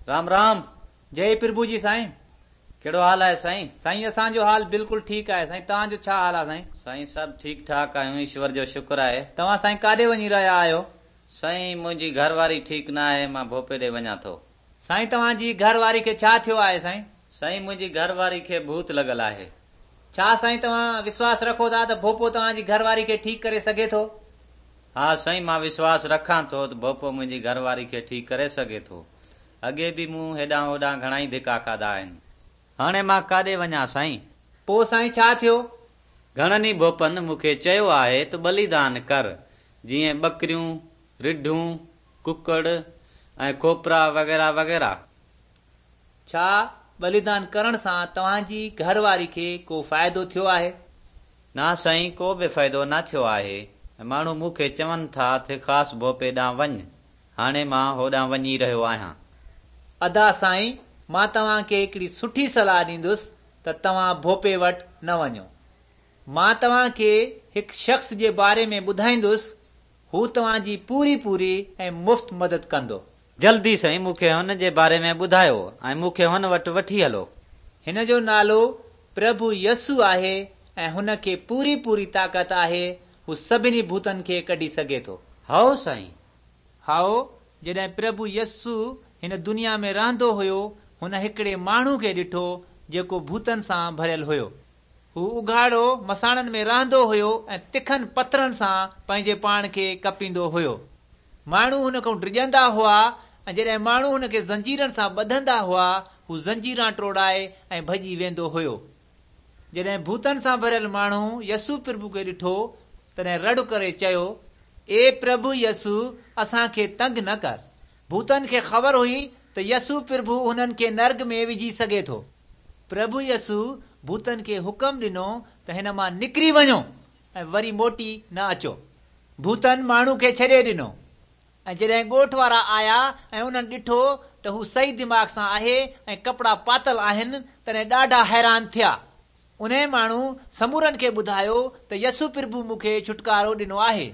رام رام. جئي پرڀو جي سائين. ڪهڙو حال آهي سائين؟ سائين اسان جو حال بلڪل ٺيڪ آهي سائين توهان جو ڇا حال آهي سائين؟ سائين سڀ ٺيڪ ٺاڪ آهيون ايشور جو شڪر آهي. توهان سائين ڪاڏي وڃي رهيا آهيو؟ سائين منهنجي گهر واري ٺيڪ نه آهي مان ڀوپي ڏي وڃان ٿو. سائين توهان جي گهر واري کي ڇا ٿيو آهي سائين؟ سائين منهنجي گهر واري کي ڀوت لڳل آهي. ڇا سائين توهان وشواس رکو ٿا ته ڀوپو توهان جي گهر واري کي ٺيڪ ڪري سگهي ٿو؟ ها سائين مان وشواس رکان ٿو ته ڀوپو منهنجي گهر واري کي ٺيڪ ڪري سگهي ٿو. اڳي به مون هيڏانهن هوڏانهن گهڻائي ڌڪا کاڌا آهن. هاڻي مان ڪاڏي وڃان سائين؟ پوء سائين ڇا ٿيو؟ گهڻن ئي ڀوپن مون کي چيو آهي ته ٻليدان ڪر، جيئن ٻڪريون، رڍون، ڪڪڙ ۽ کوپرا وغيره وغيره. ڇا ٻليدان ڪرڻ سان توهان جي گهر واري کي ڪو فائدو ٿيو آهي؟ نه سائين ڪو به فائدو نه ٿيو آهي ۽ ماڻهو مون کي چون ٿا ته خاص ڀوپي ڏانهن وڃ. هاڻي مان هوڏانهن وڃي رهيو آهيان. ادا سائين مان توهان کي هڪڙي سٺي صلاح ڏيندس ته توهان ڀوپي وٽ نه وڃو. مان توهان کي هڪ شخص جي باري ۾ ٻڌائيندس، هو توهان جي پوري پوري ۽ مفت مدد ڪندو. جلدي سائين مون کي هن جي باري ۾ ٻڌايو ۽ مون کي هن وٽ وٺي هلو. هن جو نالو پرڀو يسوع آهي ۽ هن کي پوري پوري طاقت آهي، هو سڀني ڀوتن کي ڪڍي سگهي ٿو. هائو سائين. هائو، جڏهن پرڀو يسوع هن دنيا ۾ رهندو هيو، هن هڪڙي ماڻهو کي ڏٺو جيڪو ڀوتن سان ڀريل هيو. هو اگهاڙو مساڻن ۾ رهندو هيو ۽ تکن پٿرن سان پنهنجي پاڻ کي ڪپيندو هيو. ماڻهو هن کان ڊڄندا هئا ۽ جڏهن ماڻهو هن کي زنجيرن سان ٻڌندا هئا، هو زنجيران ٽوڙائي ۽ ڀڄي ويندو هيو. جڏهن ڀوتن سان ڀريل ماڻهو يسوع پرڀو کي ڏٺو، تڏهن رڙ ڪري چيو، اي پرڀو يسوع، اسان کي تنگ نه ڪر. ڀوتن کي خبر هئي ته يسوع پرڀو هنن کي نرڳ ۾ وجهي سگهي ٿو. پرڀو يسوع ڀوتن کي حڪم ڏنو ته هن مان نڪري وڃو ۽ وري موٽي نه اچو. ڀوتن ماڻهو کي ڇڏي ڏنو ۽ جڏهن ڳوٺ وارا آيا ۽ انهن ڏٺو ته هو صحيح دماغ سان آهي ۽ ڪپڙا پاتل آهن، تڏهن ڏاڍا حيران ٿيا. انهي ماڻهو سمورن کي ٻڌايو ته يسوع پرڀو مون کي ڇوٽڪارو ڏنو آهي.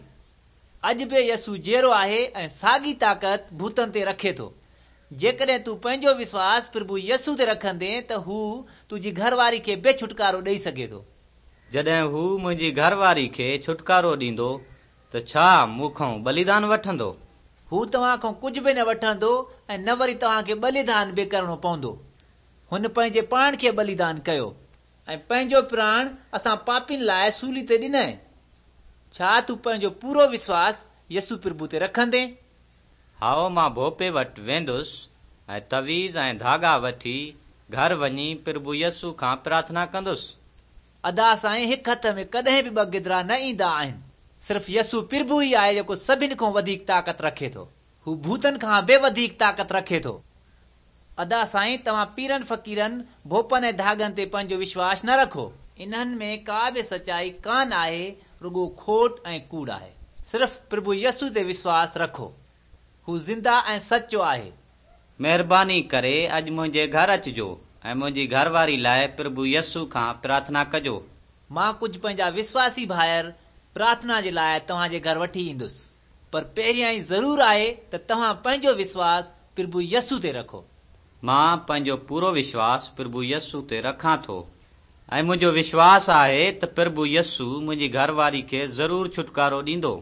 اڄ به يسوع جيئرو آهي ۽ ساڳي طاقت ڀوتن تي رکي ٿو. جيڪڏهن تون پنهنجو وشواس پرڀو يسوع تي رکندين ته هو تنهنجي گهر واري کي به ڇوٽڪارو ڏئي سگهي ٿو. جڏهن هو منهنجي گهر واري کي ڇوٽڪارو ڏيندو ته ڇا مون کان ٻليدان وٺندو؟ هو توهان کان ڪجهه به نه وٺندو ۽ نه وري توهان کي ٻليدان به ڪرڻو پوندو. هن پنهنجي پاڻ کي ٻليدان ڪيو. ۽ پنهنجو پراڻ اسان پاپين لاء سولي تي ڏنائين. ڇا تون پنهنجو پورو وشواس يسوع پرڀو تي رکندين؟ هائو مان ڀوپي وٽ ويندس ۽ تعويذ ۽ ڌاڳا وٺي گهر وڃي پرڀو يسوع کان پرارٿنا ڪندس. ادا سائين هڪ هٿ ۾ ڪڏهن به ٻه گدرا نه ايندا آهن. صرف يسوع پرڀو ئي آهي جيڪو سڀن کان وڌيڪ طاقت رکي ٿو. هو ڀوتن کان به وڌيڪ طاقت رکي ٿو. ادا سائين توهان پيرن فقيرن، ڀوپن ۽ ڌاڳن تي پنهنجو وشواس نه رکو. انهن ۾ ڪا به سچائي ڪانه آهي، رڳو کوٽ ۽ ڪوڙ آهي. صرف پرڀو يسوع تي وشواس رکو. هو زنده ۽ سچو آهي. مهرباني ڪري اڄ منهنجي گهر اچجو ۽ منهنجي گهر واري لاء پرڀو يسوع کان پرارٿنا ڪجو. مان ڪجهه پنهنجا وشواسي ڀائر پرارٿنا جي لاء توهان جي گهر وٺي ايندس. پر پهريائين ضرور آهي ته توهان پنهنجو وشواس پرڀو يسوع تي رکو. مان پنهنجو پورو وشواس پرڀو يسوع تي رکان ٿو ۽ منهنجو وشواس آهي ته پرڀو يسوع منهنجي گهر واري کي ضرور ڇوٽڪارو ڏيندو.